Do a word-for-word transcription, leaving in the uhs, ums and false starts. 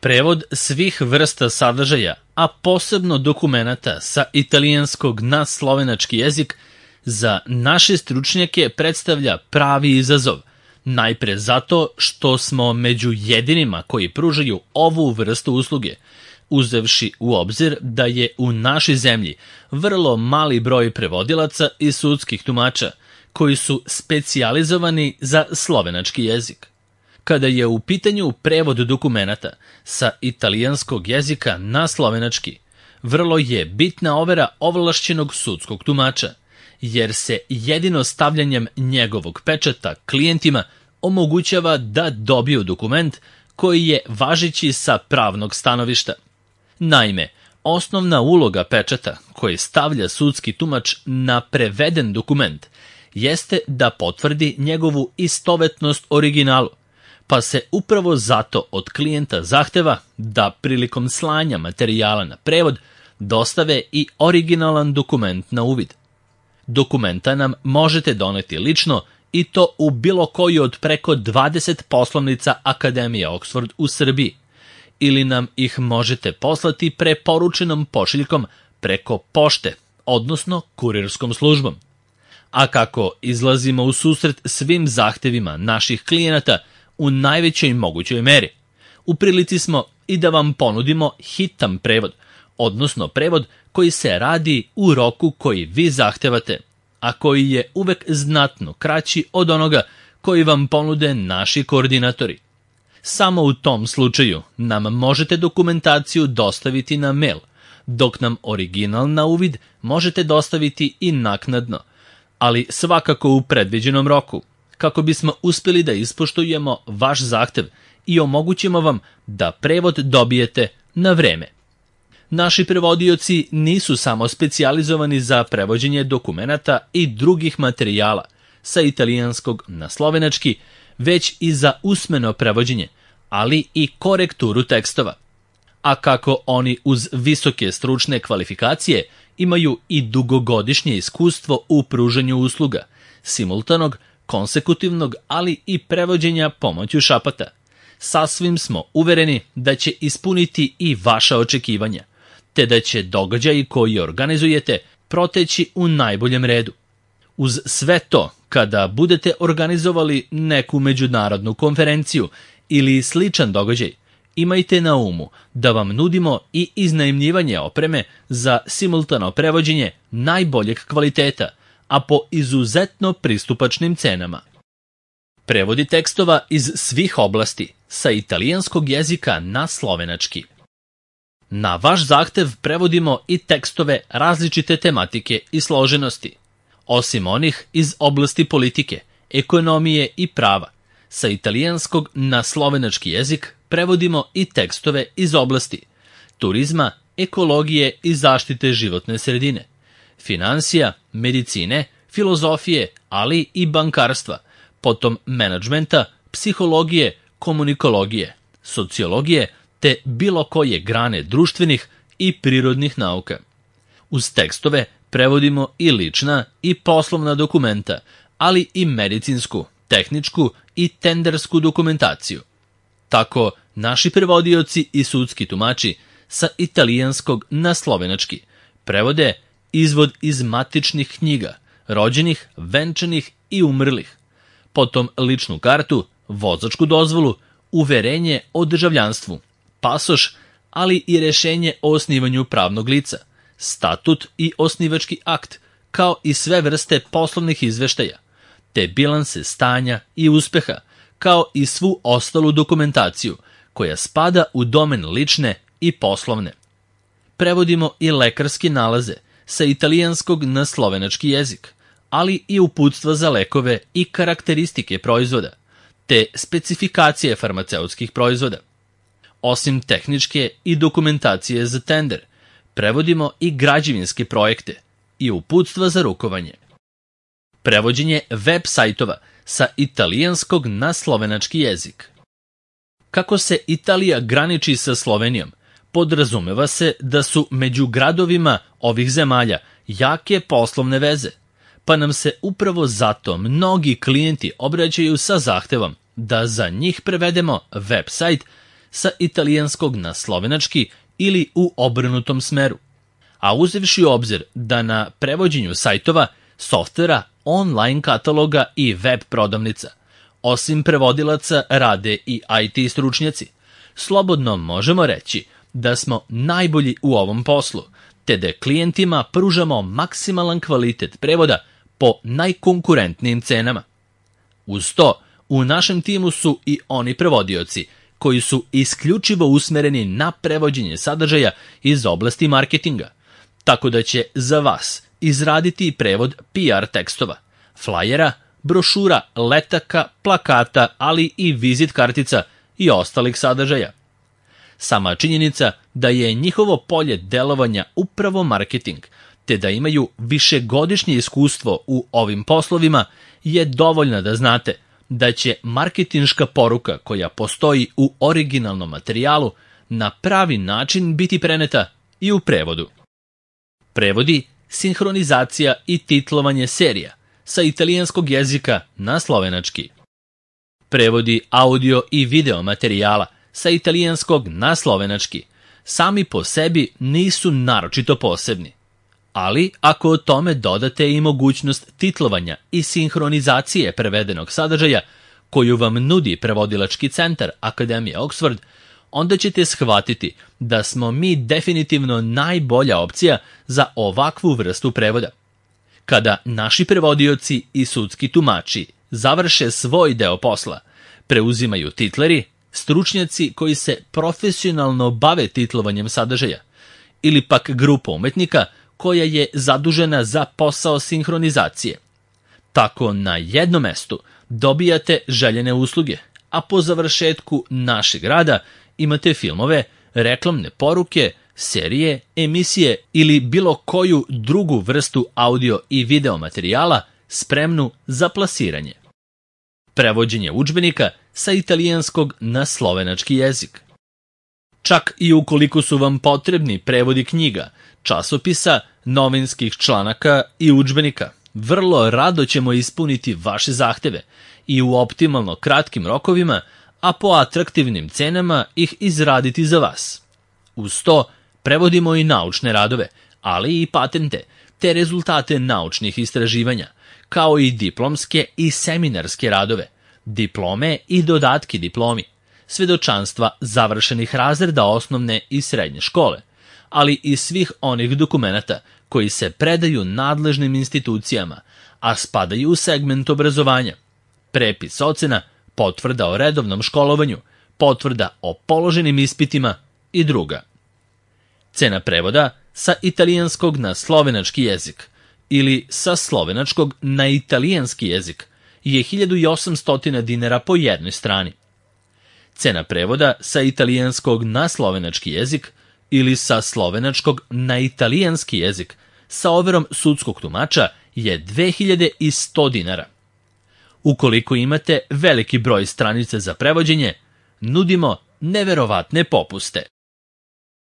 Prevod svih vrsta sadržaja, a posebno dokumenata sa italijanskog na slovenački jezik, za naše stručnjake predstavlja pravi izazov, najpre zato što smo među jedinima koji pružaju ovu vrstu usluge, uzevši u obzir da je u našoj zemlji vrlo mali broj prevodilaca i sudskih tumača koji su specijalizovani za slovenački jezik. Kada je u pitanju prevod dokumenata sa italijanskog jezika na slovenački, vrlo je bitna overa ovlašćenog sudskog tumača, jer se jedino stavljanjem njegovog pečata klijentima omogućava da dobiju dokument koji je važeći sa pravnog stanovišta. Naime, osnovna uloga pečata koji stavlja sudski tumač na preveden dokument jeste da potvrdi njegovu istovetnost originalu, pa se upravo zato od klijenta zahteva da prilikom slanja materijala na prevod dostave i originalan dokument na uvid. Dokumenta nam možete doneti lično i to u bilo koju od preko dvadeset poslovnica Akademije Oxford u Srbiji, ili nam ih možete poslati preporučenom pošiljkom preko pošte, odnosno kurirskom službom. A kako izlazimo u susret svim zahtevima naših klijenata u najvećoj mogućoj meri, u prilici smo i da vam ponudimo hitan prevod, odnosno prevod koji se radi u roku koji vi zahtevate, a koji je uvek znatno kraći od onoga koji vam ponude naši koordinatori. Samo u tom slučaju nam možete dokumentaciju dostaviti na mail, dok nam original na uvid možete dostaviti i naknadno, ali svakako u predviđenom roku, kako bismo uspjeli da ispoštujemo vaš zahtev i omogućimo vam da prevod dobijete na vreme. Naši prevodioci nisu samo specijalizovani za prevođenje dokumenata i drugih materijala sa italijanskog na slovenački, već i za usmeno prevođenje, ali i korekturu tekstova. A kako oni uz visoke stručne kvalifikacije imaju i dugogodišnje iskustvo u pružanju usluga, simultanog, konsekutivnog, ali i prevođenja pomoću šapata, sasvim smo uvereni da će ispuniti i vaša očekivanja, te da će događaji koji organizujete proteći u najboljem redu. Uz sve to, kada budete organizovali neku međunarodnu konferenciju ili sličan događaj, imajte na umu da vam nudimo i iznajmljivanje opreme za simultano prevođenje najboljeg kvaliteta, a po izuzetno pristupačnim cenama. Prevodi tekstova iz svih oblasti sa italijanskog jezika na slovenački. Na vaš zahtev prevodimo i tekstove različite tematike i složenosti, osim onih iz oblasti politike, ekonomije i prava. Sa italijanskog na slovenački jezik prevodimo i tekstove iz oblasti turizma, ekologije i zaštite životne sredine, finansija, medicine, filozofije, ali i bankarstva, potom menadžmenta, psihologije, komunikologije, sociologije, te bilo koje grane društvenih i prirodnih nauka. Uz tekstove prevodimo i lična i poslovna dokumenta, ali i medicinsku, tehničku i tendersku dokumentaciju. Tako, naši prevodioci i sudski tumači sa italijanskog na slovenački prevode izvod iz matičnih knjiga, rođenih, venčanih i umrlih, potom ličnu kartu, vozačku dozvolu, uverenje o državljanstvu, pasoš, ali i rešenje o osnivanju pravnog lica, statut i osnivački akt, kao i sve vrste poslovnih izveštaja, te bilanse stanja i uspeha, kao i svu ostalu dokumentaciju koja spada u domen lične i poslovne. Prevodimo i lekarske nalaze sa italijanskog na slovenački jezik, ali i uputstva za lekove i karakteristike proizvoda, te specifikacije farmaceutskih proizvoda. Osim tehničke i dokumentacije za tender, prevodimo i građevinske projekte i uputstva za rukovanje. Prevođenje web sajtova sa italijanskog na slovenački jezik. Kako se Italija graniči sa Slovenijom, podrazumeva se da su među gradovima ovih zemalja jake poslovne veze, pa nam se upravo zato mnogi klijenti obraćaju sa zahtevom da za njih prevedemo web sajt sa italijanskog na slovenački ili u obrnutom smeru. A uzevši u obzir da na prevođenju sajtova, softvera, online kataloga i web prodavnica, osim prevodilaca rade i I T stručnjaci, slobodno možemo reći da smo najbolji u ovom poslu, te da klijentima pružamo maksimalan kvalitet prevoda po najkonkurentnijim cenama. Uz to, u našem timu su i oni prevodioci koji su isključivo usmereni na prevođenje sadržaja iz oblasti marketinga, tako da će za vas izraditi prevod P R tekstova, flajera, brošura, letaka, plakata, ali i vizit kartica i ostalih sadržaja. Sama činjenica da je njihovo polje delovanja upravo marketing, te da imaju višegodišnje iskustvo u ovim poslovima, je dovoljna da znate da će marketinška poruka koja postoji u originalnom materijalu na pravi način biti preneta i u prevodu. Prevodi, sinhronizacija i titlovanje serija sa italijanskog jezika na slovenački. Prevodi audio i video materijala sa italijanskog na slovenački sami po sebi nisu naročito posebni. Ali ako o tome dodate i mogućnost titlovanja i sinhronizacije prevedenog sadržaja koju vam nudi prevodilački centar Akademije Oxford, onda ćete shvatiti da smo mi definitivno najbolja opcija za ovakvu vrstu prevoda. Kada naši prevodioci i sudski tumači završe svoj deo posla, preuzimaju titleri, stručnjaci koji se profesionalno bave titlovanjem sadržaja, ili pak grupa umetnika koja je zadužena za posao sinhronizacije. Tako na jednom mestu dobijate željene usluge, a po završetku našeg rada imate filmove, reklamne poruke, serije, emisije ili bilo koju drugu vrstu audio i video materijala spremnu za plasiranje. Prevođenje udžbenika sa italijanskog na slovenački jezik. Čak i ukoliko su vam potrebni prevodi knjiga, časopisa, novinskih članaka i udžbenika, vrlo rado ćemo ispuniti vaše zahteve i u optimalno kratkim rokovima, a po atraktivnim cenama ih izraditi za vas. Uz to, prevodimo i naučne radove, ali i patente, te rezultate naučnih istraživanja, kao i diplomske i seminarske radove, diplome i dodatki diplomi, svedočanstva završenih razreda osnovne i srednje škole, ali i svih onih dokumenata koji se predaju nadležnim institucijama, a spadaju u segment obrazovanja, prepis ocena, potvrda o redovnom školovanju, potvrda o položenim ispitima i druga. Cena prevoda sa italijanskog na slovenački jezik ili sa slovenačkog na italijanski jezik je hiljadu osamsto dinara po jednoj strani. Cena prevoda sa italijanskog na slovenački jezik ili sa slovenačkog na italijanski jezik sa overom sudskog tumača je dve hiljade sto dinara. Ukoliko imate veliki broj stranica za prevođenje, nudimo neverovatne popuste.